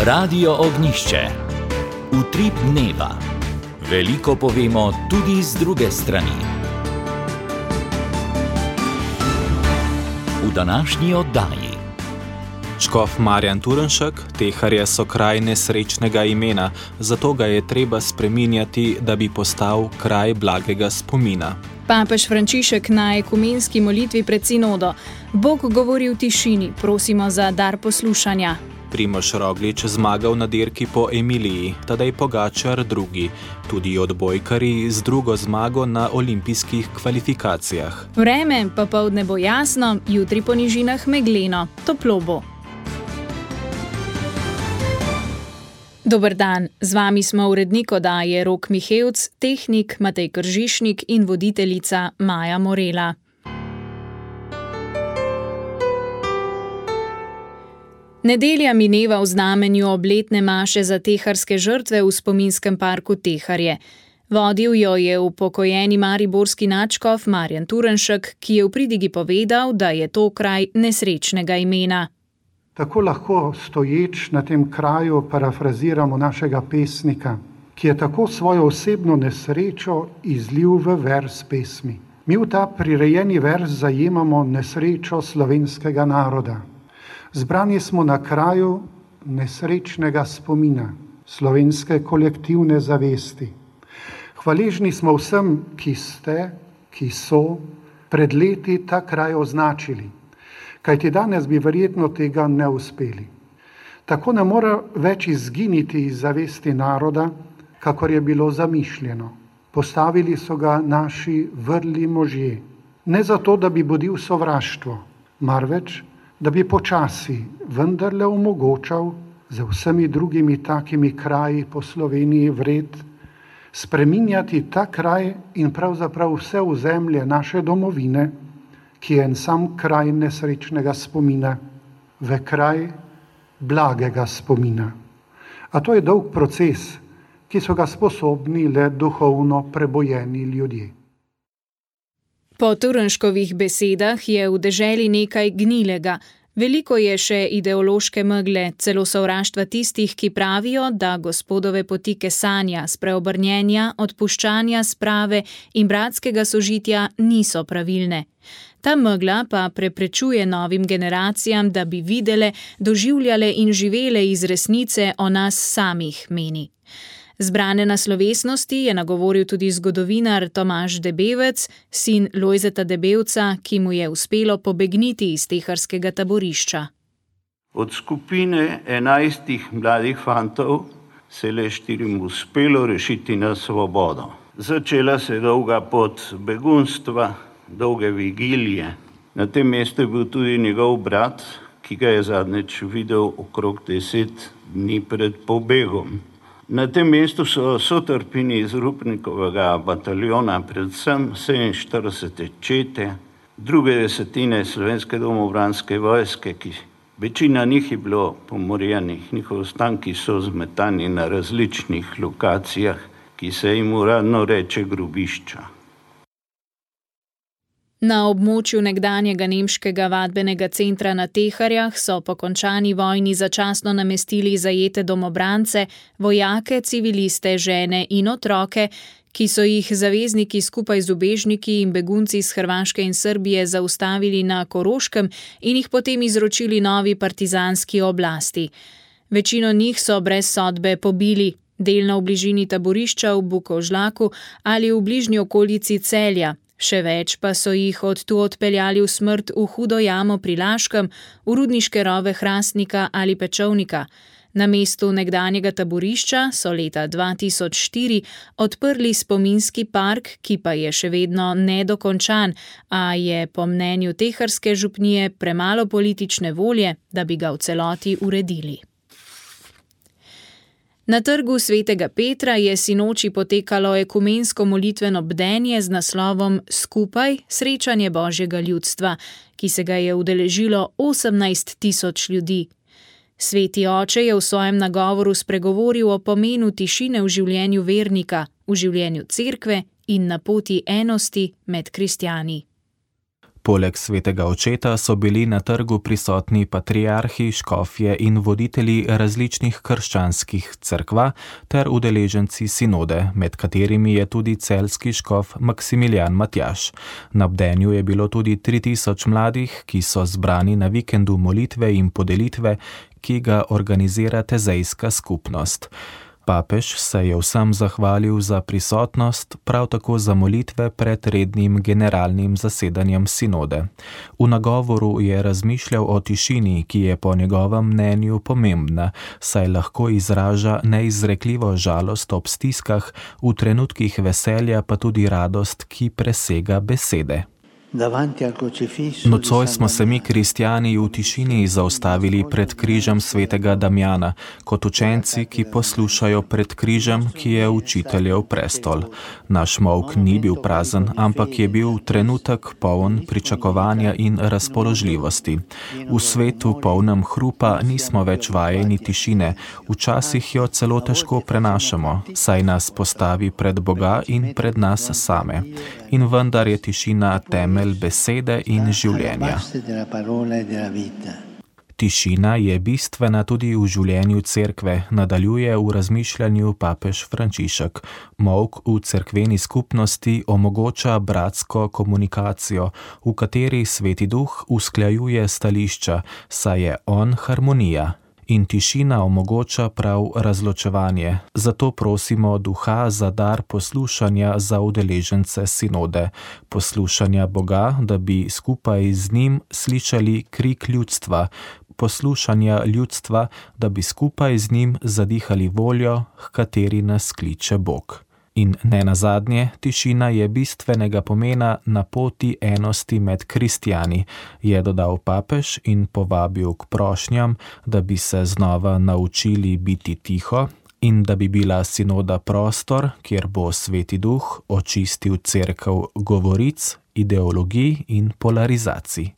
Radio Ognjišče. Utrip dneva. Veliko povemo tudi z druge strani. V današnji oddaji. Škof Marjan Turnšek, Teharje so kraj nesrečnega imena, zato ga je treba spreminjati, da bi postal kraj blagega spomina. Papež Frančišek na ekumenski molitvi pred sinodo. Bog govori v tišini, prosimo za dar poslušanja. Primož Roglič zmagal na dirki po Emiliji, Tadej Pogačar drugi, tudi odbojkarji z drugo zmago na olimpijskih kvalifikacijah. Vreme pa poldne bo jasno, jutri po nižinah megleno, toplo bo. Dober dan, z vami smo urednik oddaje Rok Mihevc, tehnik Matej Kržišnik in voditeljica Maja Morela. Nedelja mineva v znamenju obletne maše za teharske žrtve v spominskem parku Teharje. Vodil jo je upokojeni mariborski nadškof Marjan Turnšek, ki je v pridigi povedal, da je to kraj nesrečnega imena. Tako lahko stoječ na tem kraju parafraziramo našega pesnika, ki je tako svojo osebno nesrečo izlil v vers pesmi. Mi v ta prirejeni vers zajemamo nesrečo slovenskega naroda. Zbrani smo na kraju nesrečnega spomina, slovenske kolektivne zavesti. Hvaležni smo vsem, ki ste, ki so pred leti ta kraj označili. Kajti danes bi verjetno tega ne uspeli. Tako ne more več izginiti iz zavesti naroda, kakor je bilo zamišljeno. Postavili so ga naši vrli možje. Ne zato, da bi budil sovraštvo, marveč, da bi počasi vendarle omogočal z vsemi drugimi takimi kraji po Sloveniji vred spreminjati ta kraj in pravzaprav vse ozemlje naše domovine, ki je en sam kraj nesrečnega spomina, v kraj blagega spomina. A to je dolg proces, ki so ga sposobni le duhovno prebojeni ljudje. Po Turnškovih besedah je v deželi nekaj gnilega. Veliko je še ideološke megle, celo sovraštva tistih, ki pravijo, da Gospodove poti kesanja, spreobrnjenja, odpuščanja, sprave in bratskega sožitja niso pravilne. Ta megla pa preprečuje novim generacijam, da bi videle, doživljale in živele iz resnice o nas samih, meni. Zbrane na slovesnosti je nagovoril tudi zgodovinar Tomaž Debevec, sin Lojzeta Debevca, ki mu je uspelo pobegniti iz teharskega taborišča. Od skupine 11 mladih fantov se le 4 uspelo rešiti na svobodo. Začela se dolga pot begunstva, dolge vigilije. Na tem mestu je bil tudi njegov brat, ki ga je zadnjič videl okrog 10 dni pred pobegom. Na tem mestu so sotrpini iz Rupnikovega bataljona, predvsem 47. čete, druge desetine Slovenske domobranske vojske, ki večina njih je bilo pomorjenih, njihovi ostanki so zmetani na različnih lokacijah, ki se jim uradno reče grobišča. Na območju nekdanjega nemškega vadbenega centra na Teharjah so po končani vojni začasno namestili zajete domobrance, vojake, civiliste, žene in otroke, ki so jih zavezniki skupaj z ubežniki in begunci iz Hrvaške in Srbije zaustavili na Koroškem in jih potem izročili novi partizanski oblasti. Večino njih so brez sodbe pobili, delno v bližini taborišča v Bukovžlaku ali v bližnji okolici Celja. Še več pa so jih od tu odpeljali v smrt v Hudo jamo pri Laškem, v rudniške rove Hrastnika ali Pečovnika. Na mestu nekdanjega taborišča so leta 2004 odprli spominski park, ki pa je še vedno nedokončan, a je po mnenju teharske župnije premalo politične volje, da bi ga v celoti uredili. Na trgu Svetega Petra je sinoči potekalo ekumensko molitveno bdenje z naslovom Skupaj srečanje Božjega ljudstva, ki se ga je udeležilo 18 tisoč ljudi. Sveti oče je v svojem nagovoru spregovoril o pomenu tišine v življenju vernika, v življenju cerkve in na poti enosti med kristjani. Poleg svetega očeta so bili na trgu prisotni patriarhi, škofje in voditelji različnih krščanskih cerkva ter udeleženci sinode, med katerimi je tudi celjski škof Maksimilijan Matjaž. Na bdenju je bilo tudi 3000 mladih, ki so zbrani na vikendu molitve in podelitve, ki ga organizira tezejska skupnost. Papež se je vsem zahvalil za prisotnost, prav tako za molitve pred rednim generalnim zasedanjem sinode. V nagovoru je razmišljal o tišini, ki je po njegovem mnenju pomembna, saj lahko izraža neizrekljivo žalost ob stiskah, v trenutkih veselja pa tudi radost, ki presega besede. Nocoj smo se mi, kristjani, v tišini zaustavili pred križem svetega Damjana, kot učenci, ki poslušajo pred križem, ki je učiteljev prestol. Naš molk ni bil prazen, ampak je bil trenutek poln pričakovanja in razpoložljivosti. V svetu polnem hrupa nismo več vajeni tišine, včasih jo celo težko prenašamo, saj nas postavi pred Boga in pred nas same. In vendar je tišina temelj besede in življenja. Tišina je bistvena tudi v življenju cerkve, nadaljuje v razmišljanju papež Frančišek. Molk v cerkveni skupnosti omogoča bratsko komunikacijo, v kateri Sveti Duh usklajuje stališča, saj je on harmonija. In tišina omogoča prav razločevanje. Zato prosimo Duha za dar poslušanja za udeležence sinode, poslušanja Boga, da bi skupaj z njim slišali krik ljudstva, poslušanja ljudstva, da bi skupaj z njim zadihali voljo, h kateri nas kliče Bog. In nenazadnje, tišina je bistvenega pomena na poti enosti med kristjani, je dodal papež in povabil k prošnjam, da bi se znova naučili biti tiho in da bi bila sinoda prostor, kjer bo Sveti Duh očistil cerkev govoric, ideologij in polarizacij.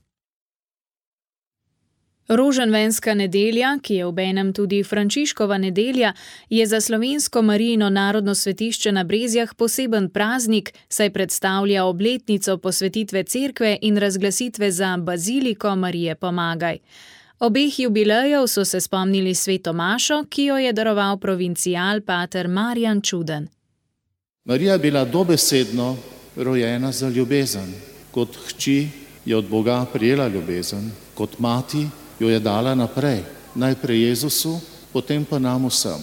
Roženvenska nedelja, ki je obenem tudi Frančiškova nedelja, je za slovensko Marijino narodno svetišče na Brezjah poseben praznik, saj predstavlja obletnico posvetitve cerkve in razglasitve za baziliko Marije Pomagaj. Obeh jubilejev so se spomnili sveto mašo, ki jo je daroval provincial pater Marjan Čuden. Marija je bila dobesedno rojena za ljubezen. Kot hči je od Boga prijela ljubezen, kot mati jo je dala naprej, najprej Jezusu, potem pa nam vsem.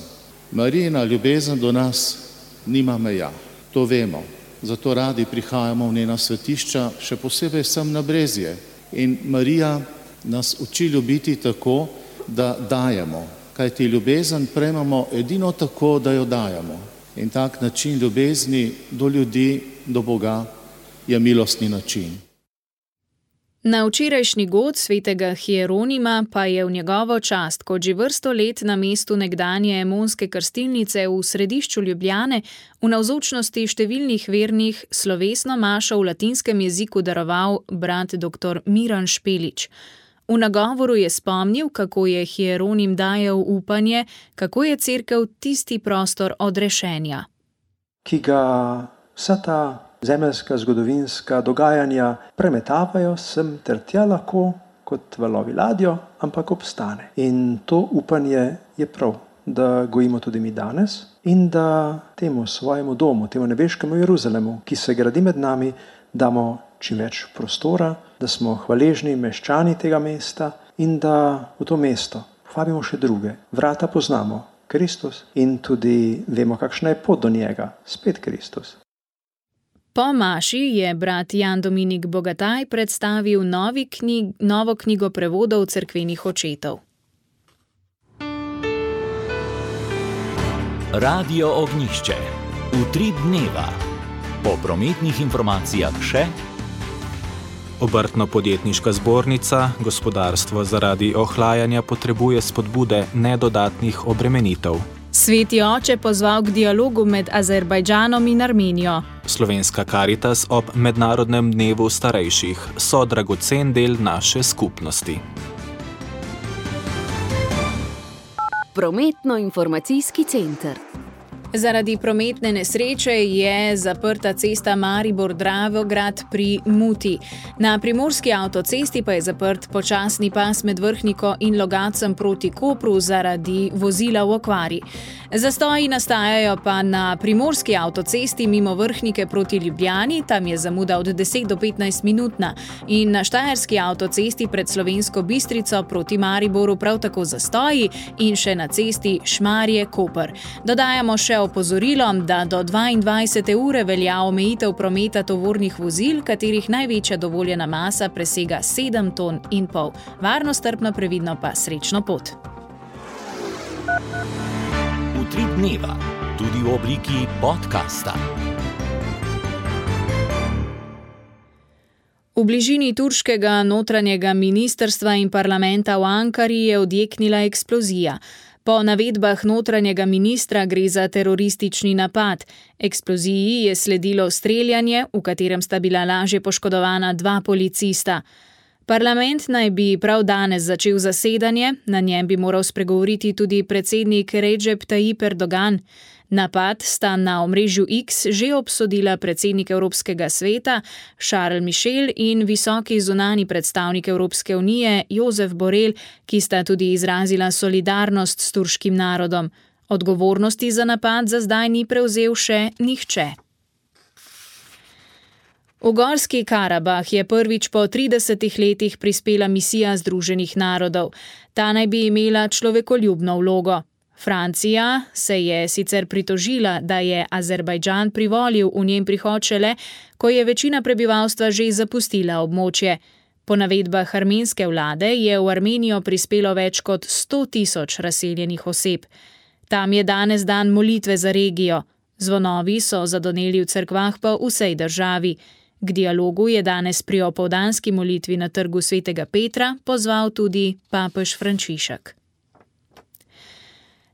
Marijina ljubezen do nas nima meja, to vemo, zato radi prihajamo v njena svetišča, še posebej sem na Brezje. In Marija nas uči ljubiti tako, da dajemo, kajti ljubezen prejmemo edino tako, da jo dajemo. In tak način ljubezni do ljudi, do Boga je milostni način. Na včerajšnji god svetega Hieronima pa je v njegovo čast, kot že vrsto let na mestu nekdanje emonske krstilnice v središču Ljubljane, v navzočnosti številnih vernih slovesno mašo v latinskem jeziku daroval brat dr. Miran Špelič. V nagovoru je spomnil, kako je Hieronim dajal upanje, kako je cerkev tisti prostor odrešenja. Ki ga vsa ta zemeljska zgodovinska dogajanja premetavajo sem ter tja lahko kot valovi ladjo, ampak obstane. In to upanje je prav, da gojimo tudi mi danes in da temu svojemu domu, temu nebeškemu Jeruzalemu, ki se gradi med nami, damo čim več prostora, da smo hvaležni meščani tega mesta in da v to mesto povabimo še druge. Vrata poznamo, Kristus, in tudi vemo, kakšna je pot do njega, spet Kristus. Po maši je brat Jan Dominik Bogataj predstavil novo knjigo prevodov cerkvenih očetov. Radio Ognjišče. Utrip dneva. Po prometnih informacijah še Obrtno-podjetniška zbornica, gospodarstvo zaradi ohlajanja potrebuje spodbude, ne dodatnih obremenitev. Sveti oče pozval k dialogu med Azerbajdžanom in Armenijo. Slovenska Karitas ob Mednarodnem dnevu starejših so dragocen del naše skupnosti. Prometno-informacijski center. Zaradi prometne nesreče je zaprta cesta Maribor-Dravograd pri Muti. Na primorski avtocesti pa je zaprt počasni pas med Vrhniko in Logatcem proti Kopru zaradi vozila v okvari. Zastoji nastajajo pa na primorski avtocesti mimo Vrhnike proti Ljubljani, tam je zamuda od 10 do 15 minutna, in na štajerski avtocesti pred Slovensko Bistrico proti Mariboru prav tako zastoji in še na cesti Šmarje-Koper. Dodajamo še opozorilo, da do 22. ure velja omejitev prometa tovornih vozil, katerih največja dovoljena masa presega 7,5 ton. Varno, strpno, previdno pa srečno pot. Utrip dneva, tudi v obliki podcasta. V bližini turškega notranjega ministrstva in parlamenta v Ankari je odjeknila eksplozija. Po navedbah notranjega ministra gre za teroristični napad. Eksploziji je sledilo streljanje, v katerem sta bila lažje poškodovana 2 policista. Parlament naj bi prav danes začel zasedanje, na njem bi moral spregovoriti tudi predsednik Recep Tayyip Erdogan. Napad sta na omrežju X že obsodila predsednik Evropskega sveta Charles Michel in visoki zunanji predstavnik Evropske unije Josep Borrell, ki sta tudi izrazila solidarnost s turškim narodom. Odgovornosti za napad za zdaj ni prevzel še nihče. V Gorski Karabah je prvič po 30 letih prispela misija Združenih narodov. Ta naj bi imela človekoljubno vlogo. Francija se je sicer pritožila, da je Azerbajdžan privolil v njen prihod šele, ko je večina prebivalstva že zapustila območje. Po navedbah armenske vlade je v Armenijo prispelo več kot 100.000 razseljenih oseb. Tam je danes dan molitve za regijo. Zvonovi so zadoneli v cerkvah po vsej državi. K dialogu je danes pri opoldanski molitvi na trgu Svetega Petra pozval tudi papež Frančišek.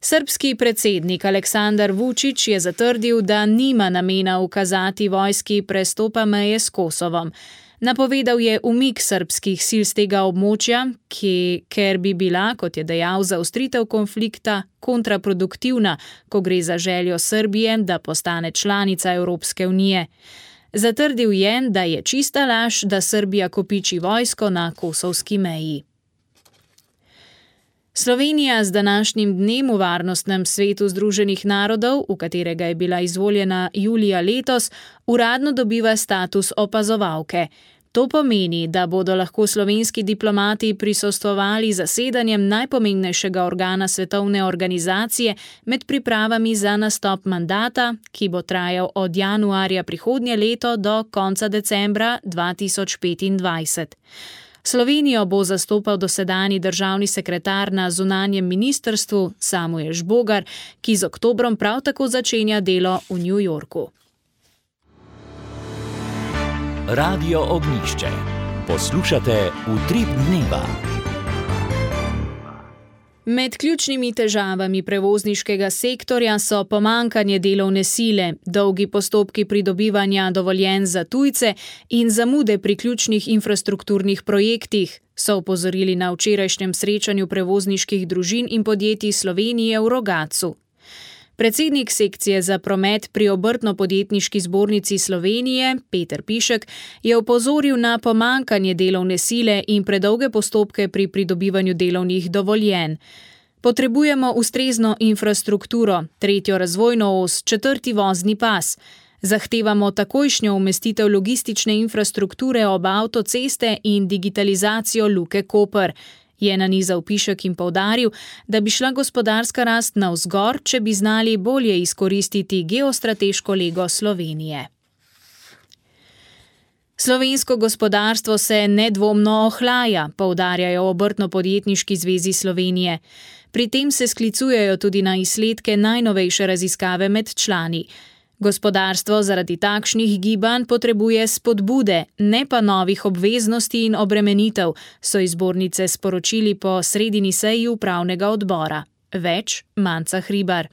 Srbski predsednik Aleksandar Vučić je zatrdil, da nima namena ukazati vojski prestopa meje s Kosovom. Napovedal je umik srbskih sil z tega območja, ker bi bila, kot je dejal, zaostritev konflikta kontraproduktivna, ko gre za željo Srbije, da postane članica Evropske unije. Zatrdil je, da je čista laž, da Srbija kopiči vojsko na kosovski meji. Slovenija z današnjim dnem v Varnostnem svetu Združenih narodov, v katerega je bila izvoljena julija letos, uradno dobiva status opazovalke. To pomeni, da bodo lahko slovenski diplomati prisostvovali zasedanjem najpomembnejšega organa svetovne organizacije med pripravami za nastop mandata, ki bo trajal od januarja prihodnje leto do konca decembra 2025. Slovenijo bo zastopal dosedanji državni sekretar na zunanjem ministrstvu Samuel Žbogar, ki z oktobrom prav tako začenja delo v New Yorku. Radio Ognjišče. Poslušate Utrip dneva. Med ključnimi težavami prevozniškega sektorja so pomanjkanje delovne sile, dolgi postopki pridobivanja dovoljenj za tujce in zamude pri ključnih infrastrukturnih projektih, so opozorili na včerajšnjem srečanju prevozniških družin in podjetij Slovenije v Rogatcu. Predsednik sekcije za promet pri Obrtno-podjetniški zbornici Slovenije, Peter Pišek, je opozoril na pomanjkanje delovne sile in predolge postopke pri pridobivanju delovnih dovoljenj. Potrebujemo ustrezno infrastrukturo, 3. razvojno os, 4. vozni pas. Zahtevamo takojšnjo umestitev logistične infrastrukture ob avtoceste in digitalizacijo Luke Koper. Je nanizal Pišek in poudaril, da bi šla gospodarska rast navzgor, če bi znali bolje izkoristiti geostrateško lego Slovenije. Slovensko gospodarstvo se nedvomno ohlaja, poudarjajo Obrtno-podjetniški zvezi Slovenije. Pri tem se sklicujejo tudi na izsledke najnovejše raziskave med člani. Gospodarstvo zaradi takšnih gibanj potrebuje spodbude, ne pa novih obveznosti in obremenitev, so iz zbornice sporočili po sredini seji upravnega odbora. Več Manca Hribar.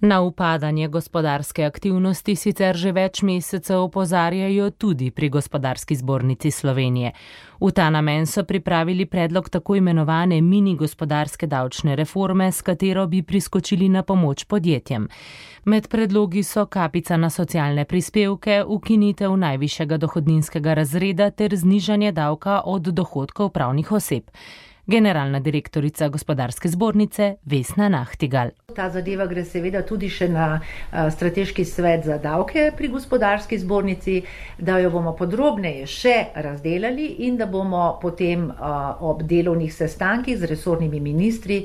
Na upadanje gospodarske aktivnosti sicer že več mesecev opozarjajo tudi pri Gospodarski zbornici Slovenije. V ta namen so pripravili predlog tako imenovane mini gospodarske davčne reforme, s katero bi priskočili na pomoč podjetjem. Med predlogi so kapica na socialne prispevke, ukinitev najvišjega dohodninskega razreda ter znižanje davka od dohodkov pravnih oseb. Generalna direktorica Gospodarske zbornice Vesna Nahtigal. Ta zadeva gre seveda tudi še na strateški svet za davke pri Gospodarski zbornici, da jo bomo podrobneje še razdelali in da bomo potem ob delovnih sestankih z resornimi ministri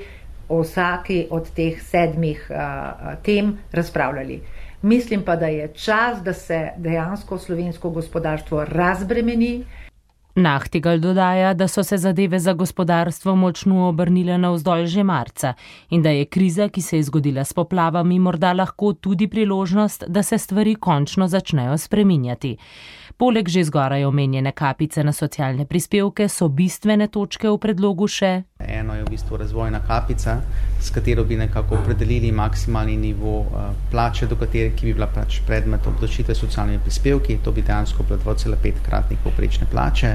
o vsaki od teh 7 tem razpravljali. Mislim pa, da je čas, da se dejansko slovensko gospodarstvo razbremeni. Nahtigal dodaja, da so se zadeve za gospodarstvo močno obrnile navzdolj že marca in da je kriza, ki se je zgodila s poplavami, morda lahko tudi priložnost, da se stvari končno začnejo spreminjati. Poleg že zgoraj omenjene kapice na socialne prispevke so bistvene točke v predlogu še. Eno je v bistvu razvojna kapica, s katero bi nekako opredelili maksimalni nivo plače, do katere, ki bi bila predmet obdavčitve socialnimi prispevki. To bi dejansko bilo 2,5-kratnik povprečne plače.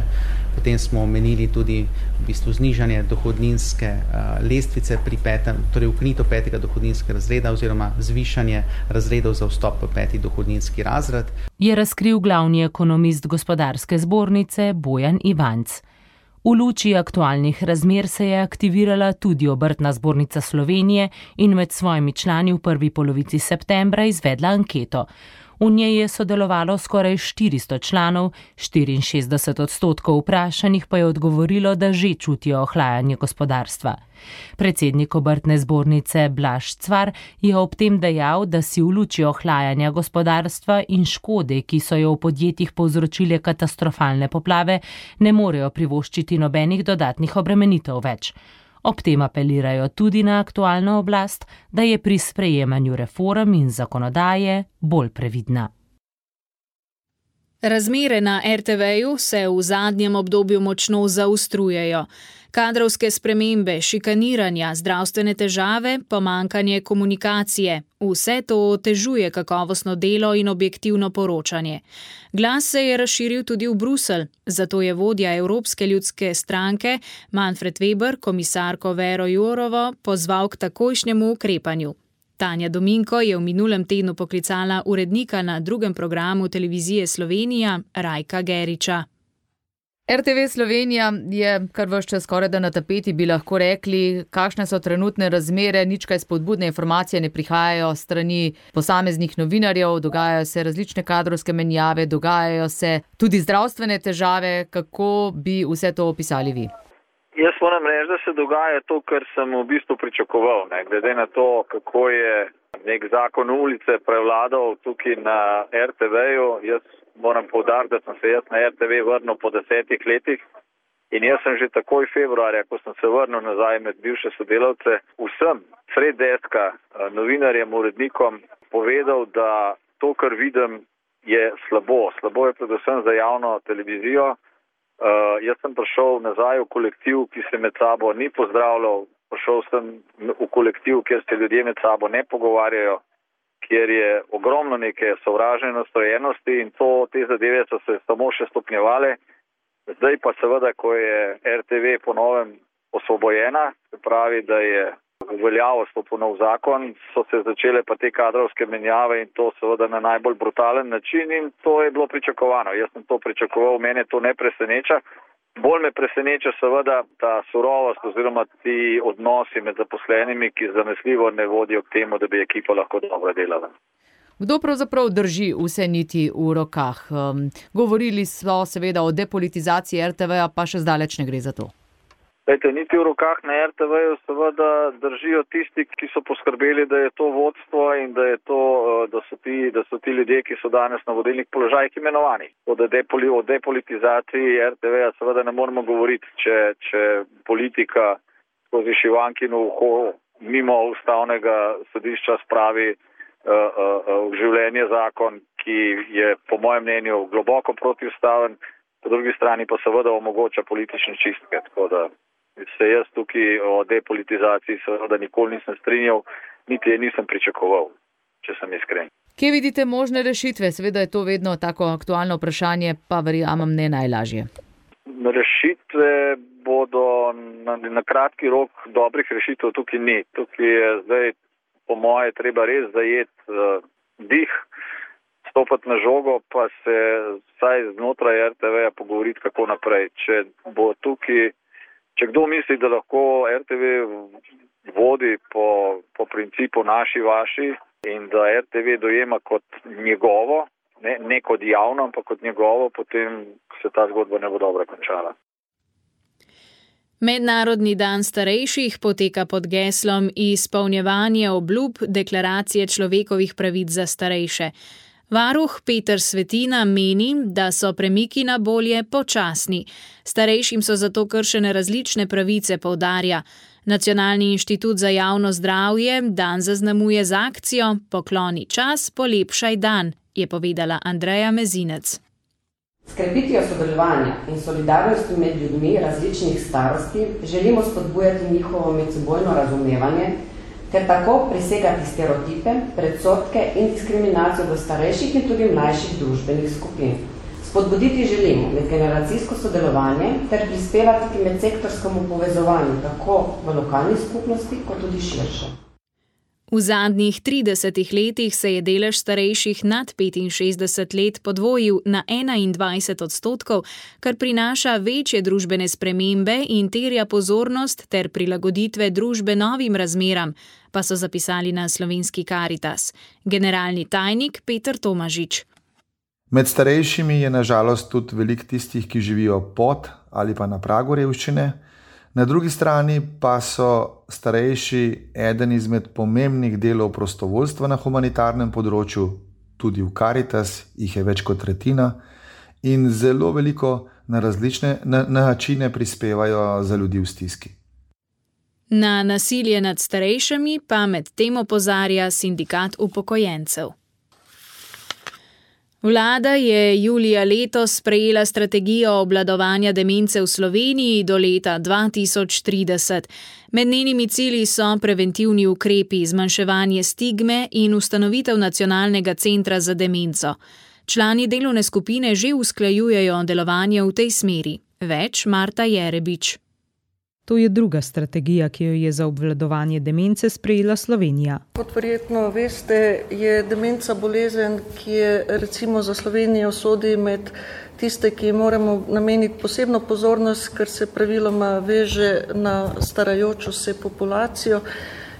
Potem smo omenili tudi v bistvu znižanje dohodninske lestvice pri torej ukinitev 5. dohodninskega razreda oziroma zvišanje razredov za vstop v 5. dohodninski razred. Je razkril glavni ekonomist Gospodarske zbornice Bojan Ivanc. V luči aktualnih razmer se je aktivirala tudi Obrtna zbornica Slovenije in med svojimi člani v prvi polovici septembra izvedla anketo. V njej je sodelovalo skoraj 400 članov, 64% vprašanih pa je odgovorilo, da že čutijo ohlajanje gospodarstva. Predsednik Obrtne zbornice Blaž Cvar je ob tem dejal, da si v luči ohlajanja gospodarstva in škode, ki so jo v podjetjih povzročile katastrofalne poplave, ne morejo privoščiti nobenih dodatnih obremenitev več. Ob tem apelirajo tudi na aktualno oblast, da je pri sprejemanju reform in zakonodaje bolj previdna. Razmere na RTV-ju se v zadnjem obdobju močno zaostrujejo. Kadrovske spremembe, šikaniranja, zdravstvene težave, pomanjkanje komunikacije. Vse to otežuje kakovostno delo in objektivno poročanje. Glas se je razširil tudi v Bruselj, zato je vodja Evropske ljudske stranke Manfred Weber komisarko Vero Jourovo pozval k takojšnjemu ukrepanju. Tanja Dominko je v minulem tednu poklicala urednika na drugem programu televizije Slovenija Rajka Geriča. RTV Slovenija je kar ves čas skorajda na tapeti, bi lahko rekli, kakšne so trenutne razmere, nič kaj spodbudne informacije ne prihajajo strani posameznih novinarjev, dogajajo se različne kadrovske menjave, dogajajo se tudi zdravstvene težave. Kako bi vse to opisali vi? Jaz moram reči, da se dogaja to, kar sem v bistvu pričakoval. Glede na to, kako je nek zakon ulice prevladal tukaj na RTV-ju, jaz moram poudariti, da sem se jaz na RTV vrnil po 10 letih in jaz sem že takoj februarja, ko sem se vrnil nazaj med bivše sodelavce, vsem sred deska, novinarjem, urednikom povedal, da to, kar vidim, je slabo. Slabo je predvsem za javno televizijo. Jaz sem prišel nazaj v kolektiv, ki se med sabo ni pozdravljal, prišel sem v kolektiv, kjer se ljudje med sabo ne pogovarjajo, kjer je ogromno neke sovražne nastrojenosti in te zadeve so se samo še stopnjevale. Zdaj pa seveda, ko je RTV po novem osvobojena, se pravi, da je v veljavo stopil nov zakon, so se začele pa te kadrovske menjave in to seveda na najbolj brutalen način in to je bilo pričakovano. Jaz sem to pričakoval, mene to ne preseneča. Bolj me preseneča seveda ta surovost oziroma ti odnosi med zaposlenimi, ki zanesljivo ne vodijo k temu, da bi ekipa lahko dobro delala. Kdo pravzaprav drži vse niti v rokah? Govorili so seveda o depolitizaciji RTV-ja, pa še zdaleč ne gre za to. Niti v rokah na RTV-ju seveda držijo tisti, ki so poskrbeli, da je to vodstvo in da so ti ljudje, ki so danes na vodilnih položajih imenovani. O depolitizaciji RTV-ja seveda ne moramo govoriti, če politika skozi šivankino uho mimo ustavnega sodišča spravi v življenje zakon, ki je po mojem mnenju globoko protiustaven, po drugi strani pa seveda omogoča politične čistke, tako da se jaz tukaj o depolitizaciji seveda nikoli nisem strinjal, niti je nisem pričakoval. če sem iskren. Kje vidite možne rešitve? Seveda je to vedno tako aktualno vprašanje, pa verjamem ne najlažje. Rešitve bodo na kratki rok, dobrih rešitev tukaj ni. Tukaj je zdaj, po moje, treba res zajeti dih, stopati na žogo, pa se vsaj znotraj RTV-ja pogovoriti, kako naprej. Če kdo misli, da lahko RTV vodi po principu naši, vaši in da RTV dojema kot njegovo, ne kot javno, ampak kot njegovo, potem se ta zgodba ne bo dobro končala. Mednarodni dan starejših poteka pod geslom izpolnjevanje obljub deklaracije človekovih pravic za starejše. Varuh Peter Svetina meni, da so premiki na bolje počasni. Starejšim so zato kršene različne pravice, poudarja. Nacionalni inštitut za javno zdravje dan zaznamuje z akcijo Pokloni čas, polepšaj dan, je povedala Andreja Mezinec. S krepitvijo sodelovanja in solidarnosti med ljudmi različnih starosti želimo spodbujati njihovo medsebojno razumevanje ter tako presegati stereotipe, predsodke in diskriminacijo do starejših in tudi mlajših družbenih skupin. Spodbuditi želimo medgeneracijsko sodelovanje ter prispevati k medsektorskemu povezovanju tako v lokalni skupnosti kot tudi širše. V zadnjih 30 letih se je delež starejših nad 65 let podvojil na 21%, kar prinaša večje družbene spremembe in terja pozornost ter prilagoditve družbe novim razmeram, pa so zapisali na Slovenski Karitas. Generalni tajnik Peter Tomažič. Med starejšimi je na žalost tudi veliko tistih, ki živijo pod ali pa na pragu revščine. Na drugi strani pa so starejši eden izmed pomembnih delov prostovoljstva na humanitarnem področju, tudi v Karitas jih je več kot tretjina in zelo veliko na različne načine prispevajo za ljudi v stiski. Na nasilje nad starejšimi pa med tem opozarja sindikat upokojencev. Vlada je julija letos sprejela strategijo obvladovanja demence v Sloveniji do leta 2030. Med njenimi cilji so preventivni ukrepi, zmanjševanje stigme in ustanovitev nacionalnega centra za demenco. Člani delovne skupine že usklajujejo delovanje v tej smeri. Več Marta Jerebič. To je druga strategija, ki jo je za obvladovanje demence sprejela Slovenija. Kot verjetno veste, je demenca bolezen, ki je recimo za Slovenijo sodi med tiste, ki moramo nameniti posebno pozornost, ker se praviloma veže na starajočo se populacijo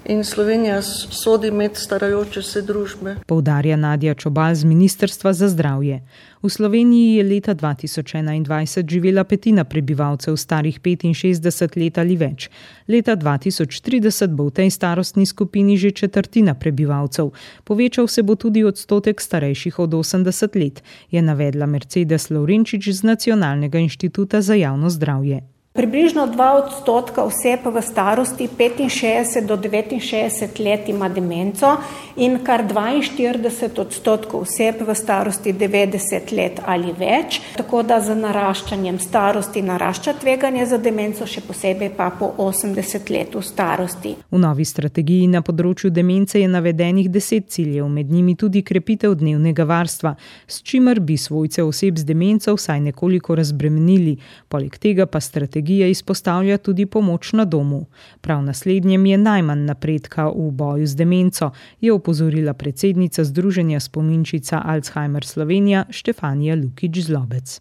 in Slovenija sodi med starajoče se družbe. Poudarja Nadja Čobal z Ministrstva za zdravje. V Sloveniji je leta 2021 živela petina prebivalcev starih 65 let ali več. Leta 2030 bo v tej starostni skupini že četrtina prebivalcev. Povečal se bo tudi odstotek starejših od 80 let, je navedla Mercedes Lovrenčič z Nacionalnega inštituta za javno zdravje. Približno 2% oseb v starosti 65 do 69 let ima demenco in kar 42% oseb v starosti 90 let ali več, tako da z naraščanjem starosti narašča tveganje za demenco, še posebej pa po 80 let v starosti. V novi strategiji na področju demence je navedenih 10 ciljev, med njimi tudi krepitev dnevnega varstva, s čimer bi svojce oseb z demenco vsaj nekoliko razbremenili, poleg tega pa strategija izpostavlja tudi pomoč na domu. Prav naslednjem je najmanj napredka v boju z demenco, je opozorila predsednica Združenja spominčica Alzheimer Slovenija Štefanija Lukič-Zlobec.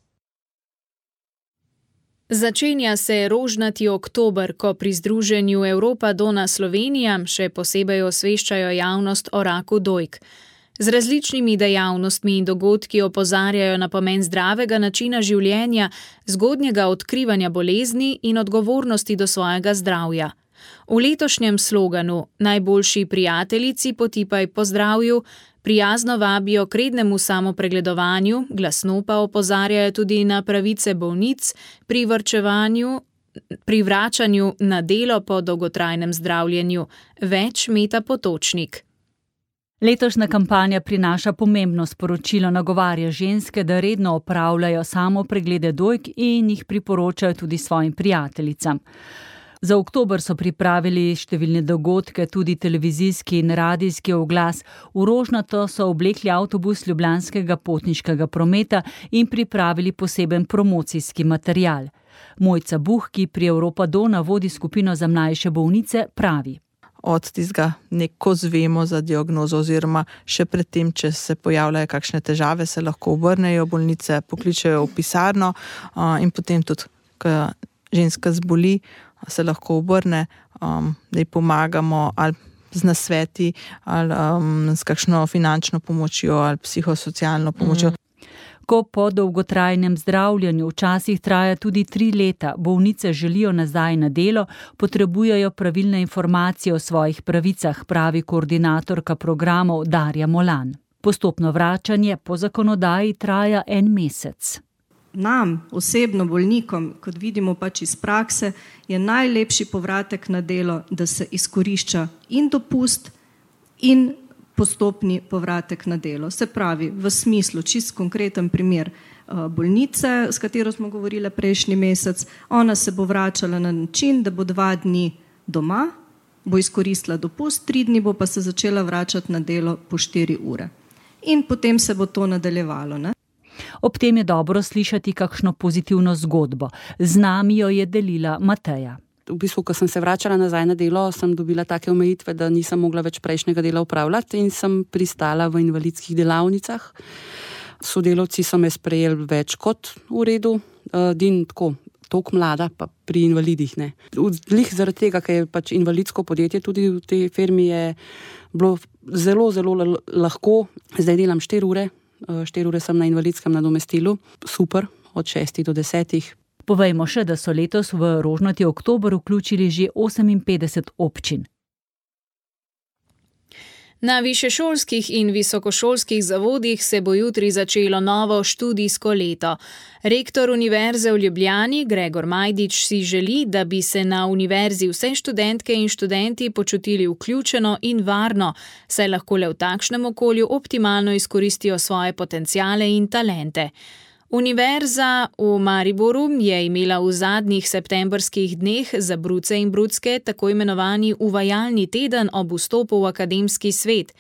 Začenja se rožnati oktober, ko pri Združenju Evropa Dona Slovenija še posebej osveščajo javnost o raku dojk. Z različnimi dejavnostmi in dogodki opozarjajo na pomen zdravega načina življenja, zgodnjega odkrivanja bolezni in odgovornosti do svojega zdravja. V letošnjem sloganu Najboljši prijateljici potipaj po zdravju prijazno vabijo k rednemu samopregledovanju, glasno pa opozarjajo tudi na pravice bolnic pri vračanju na delo po dolgotrajnem zdravljenju. Več Meta Potočnik. Letošnja kampanja prinaša pomembno sporočilo, nagovarja ženske, da redno opravljajo samopreglede dojk in jih priporočajo tudi svojim prijateljicam. Za oktober so pripravili številne dogodke, tudi televizijski in radijski oglas. V rožnato so oblekli avtobus ljubljanskega potniškega prometa in pripravili poseben promocijski material. Mojca Buh, ki pri Europa Dona vodi skupino za mlajše bolnice, pravi. Od tistega neko zvemo za diagnozo oziroma še predtem, če se pojavljajo kakšne težave, se lahko obrnejo bolnice, pokličejo v pisarno in potem tudi, ko ženska zboli, se lahko obrne, da ji pomagamo ali z nasveti ali s kakšno finančno pomočjo ali psihosocialno pomočjo. Ko po dolgotrajnem zdravljenju včasih traja tudi 3 leta, bolnice želijo nazaj na delo, potrebujejo pravilne informacije o svojih pravicah, pravi koordinatorka programov Darja Molan. Postopno vračanje po zakonodaji traja 1 mesec. Nam, osebno bolnikom, kot vidimo pač iz prakse, je najlepši povratek na delo, da se izkorišča in dopust in postopni povratek na delo. Se pravi, v smislu, čist konkreten primer bolnice, s katero smo govorili prejšnji mesec, ona se bo vračala na način, da bo 2 dni doma, bo izkoristila dopust, 3 dni bo pa se začela vračati na delo po 4 ure. In potem se bo to nadaljevalo, ne? Ob tem je dobro slišati kakšno pozitivno zgodbo. Z nami jo je delila Mateja. V bistvu, ko sem se vračala nazaj na delo, sem dobila take omejitve, da nisem mogla več prejšnjega dela upravljati in sem pristala v invalidskih delavnicah. Sodelavci so me sprejeli več kot v redu, din tako toliko mlada, pa pri invalidih ne. Lih zaradi tega, ker je pač invalidsko podjetje, tudi v tej firmi je bilo zelo, zelo lahko. Zdaj delam 4 ure. 4 ure sem na invalidskem nadomestilu. Super, od 6 do 10. Povejmo še, da so letos v rožnati oktober vključili že 58 občin. Na višješolskih in visokošolskih zavodih se bo jutri začelo novo študijsko leto. Rektor Univerze v Ljubljani, Gregor Majdič, si želi, da bi se na univerzi vse študentke in študenti počutili vključeno in varno, saj lahko le v takšnem okolju optimalno izkoristijo svoje potenciale in talente. Univerza v Mariboru je imela v zadnjih septembrskih dneh za bruce in brucke tako imenovani uvajalni teden ob vstopu v akademski svet.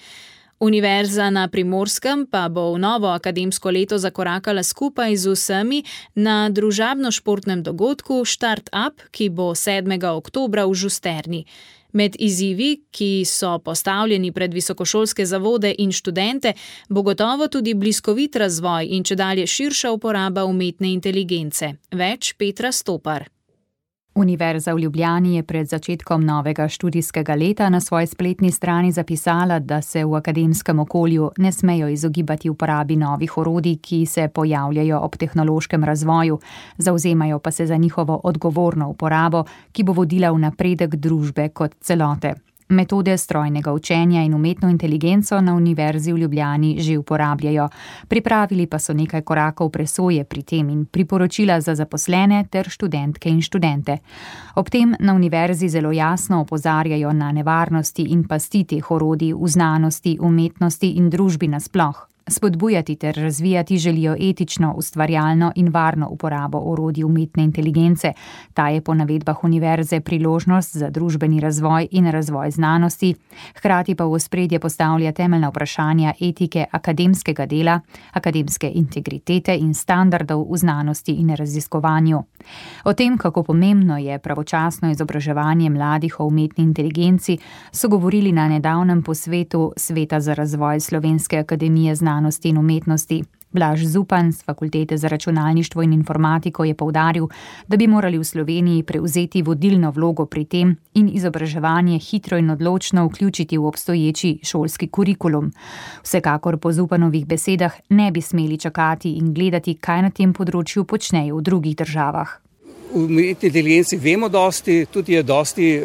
Univerza na Primorskem pa bo v novo akademsko leto zakorakala skupaj z vsemi na družabno-športnem dogodku Start Up, ki bo 7. oktobra v Žusterni. Med izzivi, ki so postavljeni pred visokošolske zavode in študente, bo gotovo tudi bliskovit razvoj in čedalje širša uporaba umetne inteligence. Več Petra Stopar. Univerza v Ljubljani je pred začetkom novega študijskega leta na svoji spletni strani zapisala, da se v akademskem okolju ne smejo izogibati uporabi novih orodij, ki se pojavljajo ob tehnološkem razvoju, zavzemajo pa se za njihovo odgovorno uporabo, ki bo vodila v napredek družbe kot celote. Metode strojnega učenja in umetno inteligenco na Univerzi v Ljubljani že uporabljajo. Pripravili pa so nekaj korakov presoje pri tem in priporočila za zaposlene ter študentke in študente. Ob tem na Univerzi zelo jasno opozarjajo na nevarnosti in pasti teh orodij v znanosti, umetnosti in družbi nasploh. Spodbujati ter razvijati želijo etično, ustvarjalno in varno uporabo orodij umetne inteligence. Ta je po navedbah univerze priložnost za družbeni razvoj in razvoj znanosti, hkrati pa v ospredje postavlja temeljna vprašanja etike akademskega dela, akademske integritete in standardov v znanosti in raziskovanju. O tem, kako pomembno je pravočasno izobraževanje mladih o umetni inteligenci, so govorili na nedavnem posvetu Sveta za razvoj Slovenske akademije znanosti in umetnosti. Blaž Zupan z Fakultete za računalništvo in informatiko je poudaril, da bi morali v Sloveniji prevzeti vodilno vlogo pri tem in izobraževanje hitro in odločno vključiti v obstoječi šolski kurikulum. Vsekakor po Zupanovih besedah ne bi smeli čakati in gledati, kaj na tem področju počnejo v drugih državah. V umetni inteligenci vemo dosti, tudi je dosti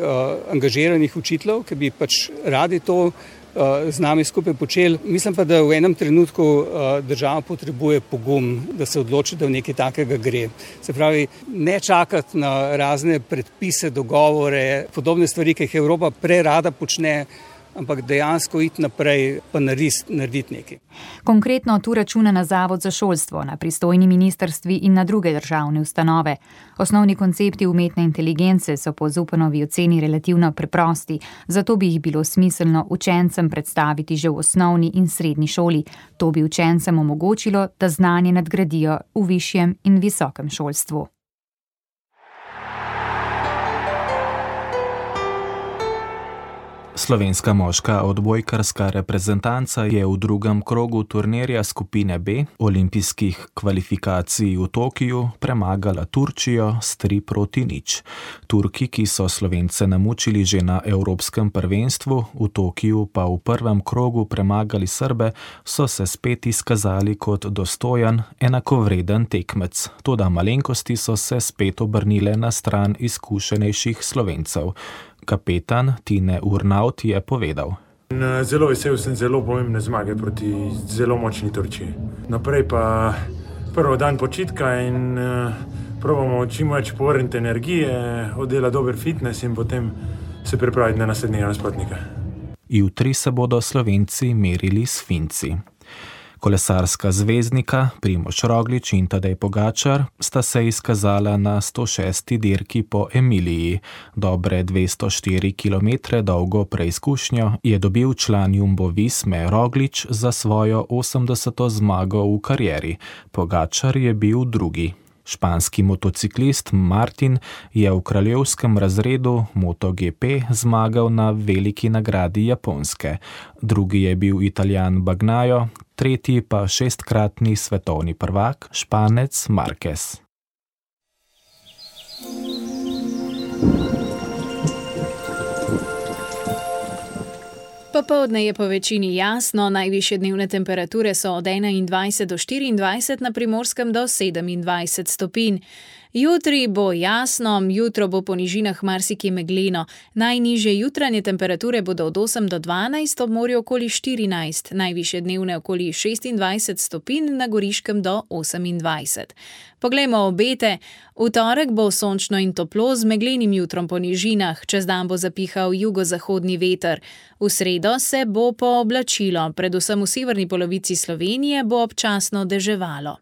angažiranih učiteljev, ki bi pač radi to z nami skupaj počeli. Mislim pa, da v enem trenutku država potrebuje pogum, da se odloči, da v nekaj takega gre. Se pravi, ne čakati na razne predpise, dogovore, podobne stvari, ki jih Evropa prerada počne, ampak dejansko iti naprej pa narediti nekaj. Konkretno tu računa na Zavod za šolstvo, na pristojni ministrstvi in na druge državne ustanove. Osnovni koncepti umetne inteligence so po Zupanovi oceni relativno preprosti, zato bi jih bilo smiselno učencem predstaviti že v osnovni in srednji šoli. To bi učencem omogočilo, da znanje nadgradijo v višjem in visokem šolstvu. Slovenska moška odbojkarska reprezentanca je v drugem krogu turnirja skupine B olimpijskih kvalifikacij v Tokiju premagala Turčijo s 3-0. Turki, ki so Slovence namučili že na Evropskem prvenstvu, v Tokiju pa v prvem krogu premagali Srbe, so se spet izkazali kot dostojan, enakovreden tekmec. Toda malenkosti so se spet obrnile na stran izkušenejših Slovencev. Kapetan Tine Urnaut je povedal. Zelo vesel sem zelo pomembne zmage proti zelo močni Turčiji. Naprej pa prvo dan počitka in probamo čim več povrniti energije, oddelati dober fitness in potem se pripraviti na naslednjega nasprotnika. Jutri se bodo Slovenci merili s Finci. Kolesarska zvezdnika Primož Roglič in Tadej Pogačar sta se izkazala na 106. dirki po Emiliji. Dobre 204 km dolgo preizkušnjo je dobil član Jumbo Visme Roglič za svojo 80. zmago v karieri. Pogačar je bil drugi. Španski motociklist Martin je v kraljevskem razredu MotoGP zmagal na veliki nagradi Japonske. Drugi je bil Italijan Bagnaio, tretji pa 6-kratni svetovni prvak Španec Marquez. Popoldne je po večini jasno, najvišje dnevne temperature so od 21 do 24, na Primorskem do 27 stopinj. Jutri bo jasno, jutro bo po nižinah marsikje megleno. Najnižje jutranje temperature bodo od 8 do 12, ob morju okoli 14, najvišje dnevne okoli 26 stopinj, na Goriškem do 28. Poglejmo obete. V torek bo sončno in toplo z meglenim jutrom po nižinah, čez dan bo zapihal jugozahodni veter. V sredo se bo pooblačilo, predvsem v severni polovici Slovenije bo občasno deževalo.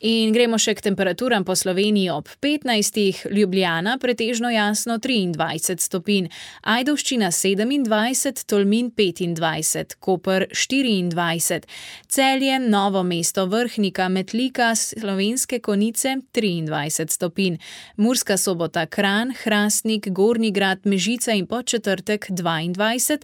In gremo še k temperaturam po Sloveniji. Ob 15. Ljubljana pretežno jasno 23 stopinj, Ajdovščina 27, Tolmin 25, Koper 24, Celje, Novo mesto, Vrhnika, Metlika, Slovenske Konjice 23 stopinj, Murska Sobota, Kranj, Hrastnik, Gornji Grad, Mežica in Podčetrtek 22,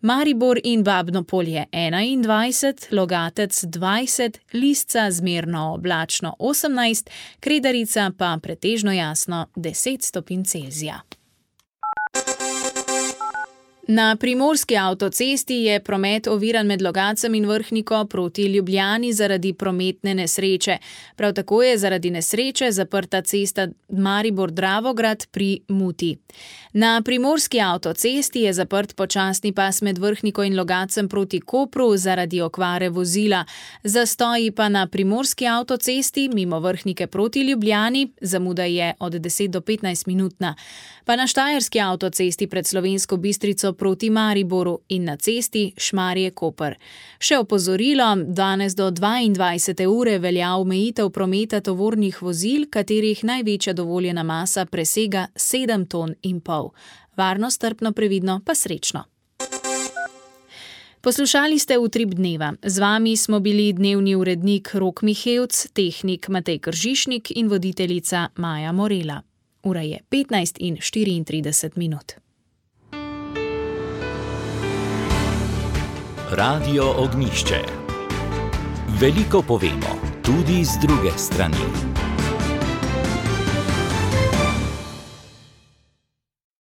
Maribor in Babno Polje 21, Logatec 20, Lisca zmerno oblačno 18, Kredarica pa pretežno jasno 10 stopinj Celzija. Na primorski avtocesti je promet oviran med Logatcem in Vrhniko proti Ljubljani zaradi prometne nesreče. Prav tako je zaradi nesreče zaprta cesta Maribor-Dravograd pri Muti. Na primorski avtocesti je zaprt počasni pas med Vrhniko in Logatcem proti Kopru zaradi okvare vozila. Zastoji pa na primorski avtocesti mimo Vrhnike proti Ljubljani, zamuda je od 10 do 15 minutna. Pa na štajerski avtocesti pred Slovensko Bistrico proti Mariboru in na cesti Šmarje-Koper. Še opozorilo, danes do 22. ure velja omejitev prometa tovornih vozil, katerih največja dovoljena masa presega 7,5 ton. Varno, strpno, previdno pa srečno. Poslušali ste Utrip dneva. Z vami smo bili dnevni urednik Rok Mihevc, tehnik Matej Kržišnik in voditeljica Maja Morela. Ura je 15:34. Radio Ognjišče. Veliko povemo, tudi z druge strani.